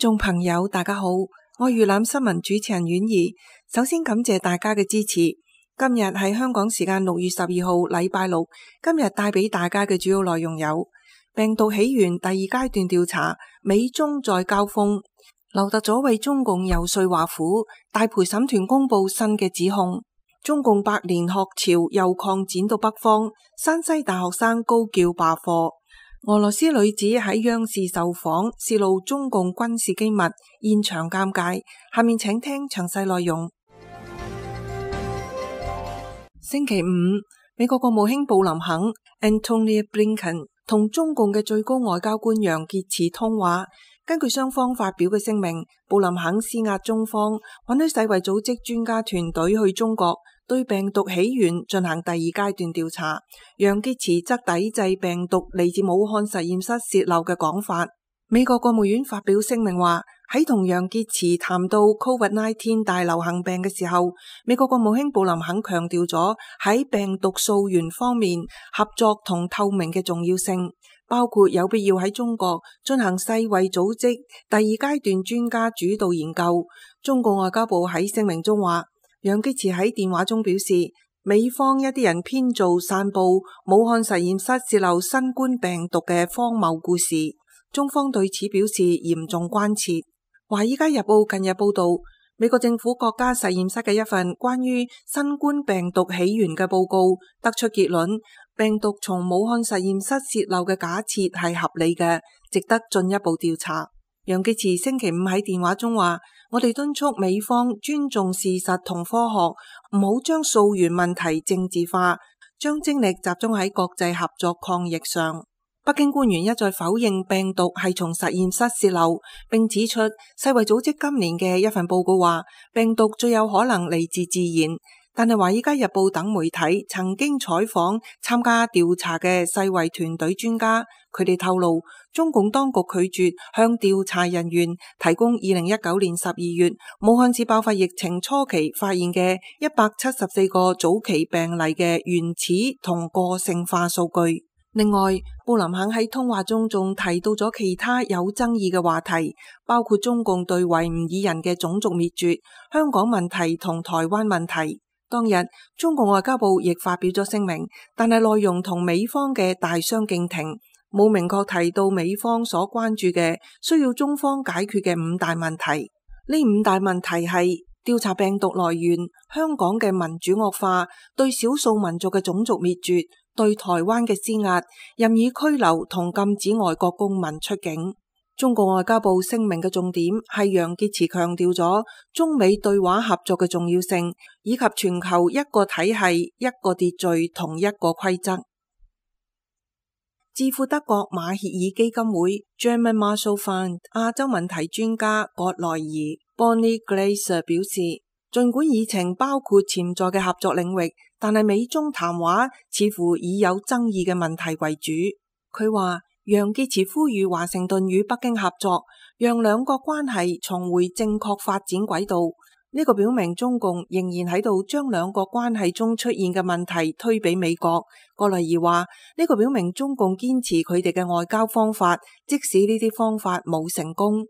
眾朋友大家好，我係粵覽新聞主持人婉儀。首先感謝大家嘅支持。今日係香港時間6月12號禮拜六，今日帶俾大家嘅主要內容有：病毒起源第二階段調查，美中再交鋒；劉特佐為中共游說華府，大陪審團公布新嘅指控；中共百年學潮又擴展到北方，山西大學生高叫罷課；俄羅斯女子喺央視受訪，泄露中共軍事機密，現場尷尬。下面請聽詳細內容。星期五，美國國務卿布林肯 Antony Blinken 同中共嘅最高外交官楊潔篪通話。根據雙方發表嘅聲明，布林肯施壓中方，允許世衛組織專家團隊去中國對病毒起源進行第二階段調查。楊潔篪則抵制病毒嚟自武漢實驗室洩漏嘅講法。美國國務院發表聲明話，喺同楊潔篪談到 COVID-19 大流行病嘅時候，美國國務卿布林肯強調咗喺病毒溯源方面合作同透明嘅重要性，包括有必要喺中國進行世衛組織第二階段專家主導研究。中國外交部喺聲明中話，楊潔篪喺電話中表示，美方一啲人編造散布武漢實驗室洩漏新冠病毒嘅荒謬故事，中方對此表示嚴重關切。華爾街日報近日報道，美國政府國家實驗室嘅一份關於新冠病毒起源嘅報告得出結論，病毒從武漢實驗室洩漏嘅假設係合理嘅，值得進一步調查。楊潔篪星期五喺電話中話，我哋敦促美方尊重事實同科學，唔好將溯源問題政治化，將精力集中喺國際合作抗疫上。北京官員一再否認病毒係從實驗室洩漏，並指出世衛組織今年嘅一份報告話，病毒最有可能嚟自自然。但係華爾街日報等媒體曾經採訪參加調查嘅世衛團隊專家，佢哋透露，中共當局拒絕向調查人員提供2019年12月武漢市爆發疫情初期發現嘅174個早期病例嘅原始同個性化數據。另外，布林肯喺通話中仲提到咗其他有爭議嘅話題，包括中共對維吾爾人嘅種族滅絕、香港問題同台灣問題。當日，中共外交部亦發表咗聲明，但係內容同美方嘅大相徑庭，冇明確提到美方所關注嘅需要中方解決嘅5大問題。呢5大問題係調查病毒來源、香港嘅民主惡化、對少數民族嘅種族滅絕、對台灣嘅施壓、任意拘留同禁止外國公民出境。中國外交部聲明嘅重點係楊潔篪強調咗中美對話合作嘅重要性，以及全球一個體系、一個秩序同一個規則。智庫德國馬歇爾基金會 German Marshall Fund 亞洲問題專家葛萊爾 Bonnie Glaser 表示，儘管議程包括潛在嘅合作領域，但係美中談話似乎以有爭議嘅問題為主。佢話，楊潔篪呼籲華盛頓與北京合作，讓兩國關係重回正確發展軌道。呢個表明中共仍然喺度將兩國關係中出現嘅問題推俾美國。葛萊爾話，呢個表明中共堅持佢哋嘅外交方法，即使呢啲方法冇成功。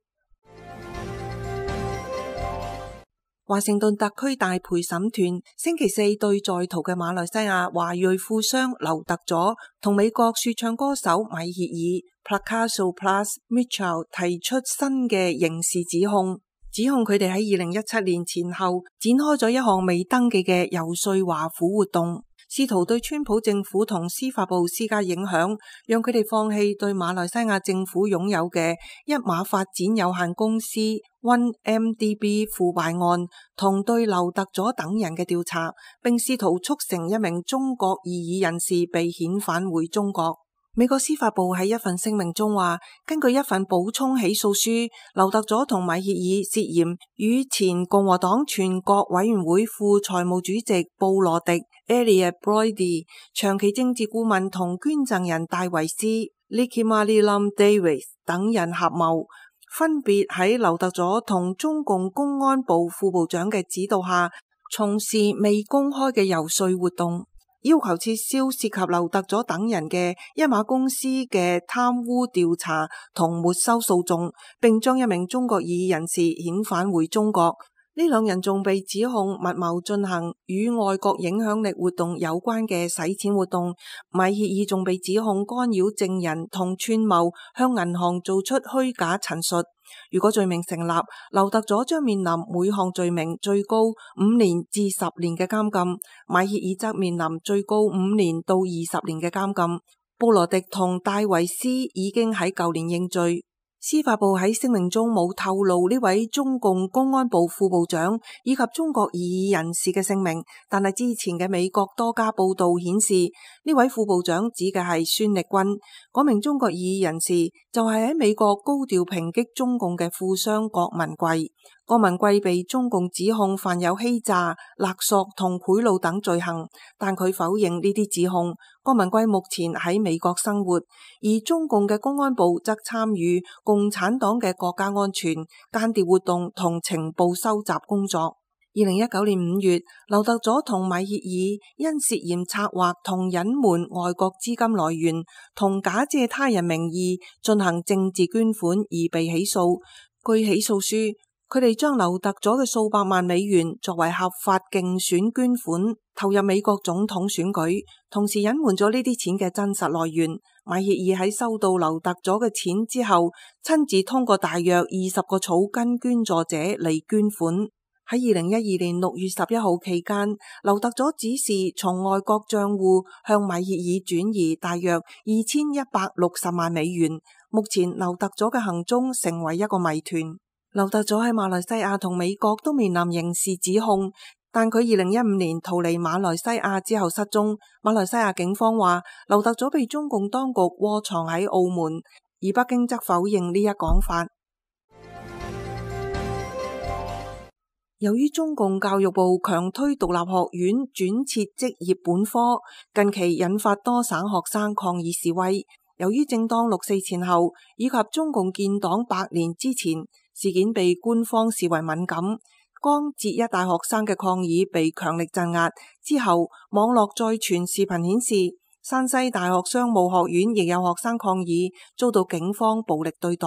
華盛頓特區大陪審團星期四對在逃嘅馬來西亞華裔富商劉特佐同美國說唱歌手米歇爾 Picasso Plus Mitchell 提出新嘅刑事指控佢哋喺2017年前後展開咗一項未登記嘅游說華府活動，試圖對川普政府同司法部施加影響，讓佢哋放棄對馬來西亞政府擁有嘅一馬發展有限公司 1MDB 腐敗案同對劉特佐等人嘅調查，並試圖促成一名中國異議人士被遣返回中國。美國司法部喺一份聲明中話，根據一份補充起訴書，劉特佐同米歇爾涉嫌與前共和黨全國委員會副財務主席布羅迪 Elliot Brody、長期政治顧問同捐贈人戴維斯 Likimalilam Davis 等人合謀，分別喺劉特佐同中共公安部副部長嘅指導下，從事未公開嘅游說活動。要求撤銷涉及劉特佐等人嘅一馬公司嘅貪污調查同沒收訴訟，並將一名中國異議人士遣返回中國。呢兩人仲被指控密謀進行與外國影響力活動有關嘅洗錢活動。米歇爾仲被指控干擾證人同串謀向銀行做出虛假陳述。如果罪名成立，劉特佐將面臨每項罪名最高5年至10年嘅監禁，米歇爾則面臨最高5年到20年嘅監禁。布羅迪同戴維斯已經喺舊年認罪。司法部喺聲明中冇透露呢位中共公安部副部長以及中國異議人士嘅姓名，但係之前嘅美國多家報道顯示，呢位副部長指嘅係孫力軍。嗰名中國異議人士就係喺美國高調抨擊中共嘅富商郭文貴。郭文貴被中共指控犯有欺詐、勒索同賄賂等罪行，但佢否認呢啲指控。郭文貴目前喺美國生活，而中共嘅公安部則參與共產黨嘅國家安全、間諜活動同情報收集工作。2019年5月，劉特佐同米歇爾因涉嫌策劃同隱瞞外國資金來源同假借他人名義進行政治捐款而被起訴。據起訴書，佢哋將劉特佐嘅數百萬美元作為合法競選捐款，投入美國總統選舉，同時隱瞞咗呢啲錢嘅真實來源。米歇爾喺收到劉特佐嘅錢之後，親自通過大約20個草根捐助者嚟捐款。喺2012年6月11號期間，劉特佐指示從外國賬戶向米歇爾轉移大約2160萬美元。目前劉特佐嘅行蹤成為一個謎團。劉特佐喺馬來西亞同美國都面臨刑事指控，但佢2015年逃離馬來西亞之後失蹤。馬來西亞警方話劉特佐被中共當局窩藏喺澳門，而北京則否認呢一講法。由於中共教育部強推獨立學院轉設職業本科，近期引發多省學生抗議示威。由於正當6.4前後以及中共建黨100年之前，事件被官方視為敏感。江浙一大學生嘅抗議被強力鎮壓之後，網絡再傳視頻顯示，山西大學商務學院亦有學生抗議，遭到警方暴力對待。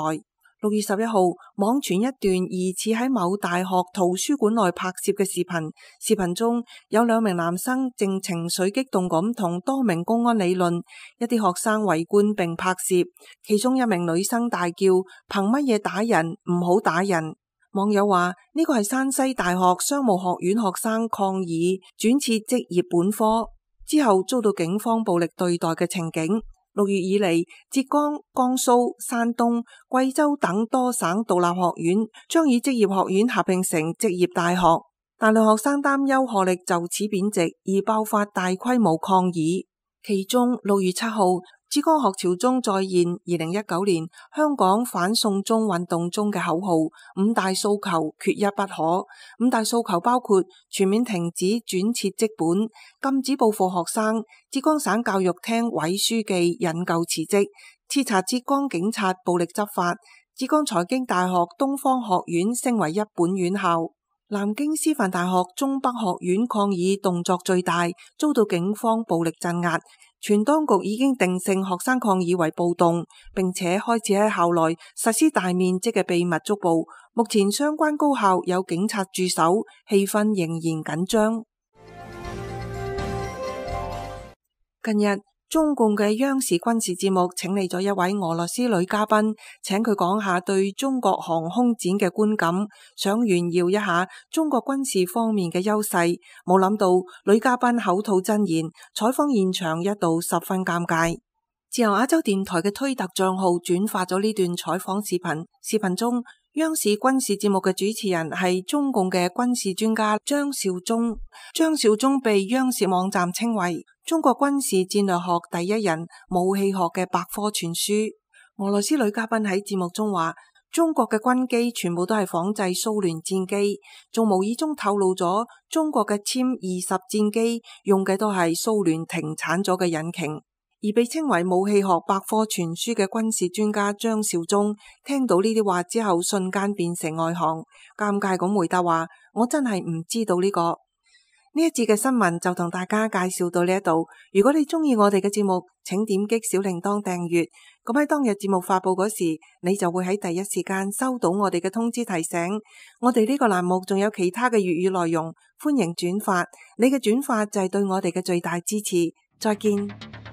6月11號，網傳一段疑似喺某大學圖書館內拍攝嘅視頻，視頻中有2名男生正情緒激動咁同多名公安理論，一啲學生圍觀並拍攝，其中一名女生大叫：憑乜嘢打人？唔好打人！網友話呢個係山西大學商務學院學生抗議轉設職業本科之後遭到警方暴力對待嘅情景。6月以嚟，浙江、江蘇、山東、貴州等多省獨立學院將以職業學院合併成職業大學，大量學生擔憂學歷就此貶值而爆發大規模抗議。其中6月7號，浙江學潮中再現2019年香港反送中運動中嘅口號5大訴求缺一不可。5大訴求包括全面停止轉設職本、禁止報復學生、浙江省教育廳委書記引咎辭職、徹查浙江警察暴力執法、浙江財經大學東方學院升為一本院校。南京師範大學中北學院抗議動作最大，遭到警方暴力鎮壓。全當局已經定性學生抗議為暴動，並且開始喺校內實施大面積嘅秘密捉捕。目前相關高校有警察駐守，氣氛仍然緊張。近日，中共嘅央視軍事節目請嚟咗一位俄羅斯女嘉賓，請佢講下對中國航空展嘅觀感，想炫耀一下中國軍事方面嘅優勢。冇諗到女嘉賓口吐真言，採訪現場一度十分尷尬。自由亞洲電台嘅推特賬號轉發咗呢段採訪視頻，視頻中央視軍事節目嘅主持人係中共嘅軍事專家張紹忠。張紹忠被央視網站稱為中國軍事戰略學第一人、武器學嘅百科全書。俄羅斯女嘉賓喺節目中話，中國嘅軍機全部都係仿製蘇聯戰機，仲無意中透露咗中國嘅殲20戰機用嘅都係蘇聯停產咗嘅引擎。而被稱為武器學百科全書嘅軍事專家張紹忠聽到呢啲話之後，瞬間變成外行，尷尬咁回答話：我真係唔知道呢個。呢一節嘅新聞就同大家介紹到呢一度。如果你中意我哋嘅節目，請點擊小鈴鐺訂閱。咁喺當日節目發佈嗰時，你就會喺第一時間收到我哋嘅通知提醒。我哋呢個欄目仲有其他嘅粵語內容，歡迎轉發。你嘅轉發就係對我哋嘅最大支持。再見。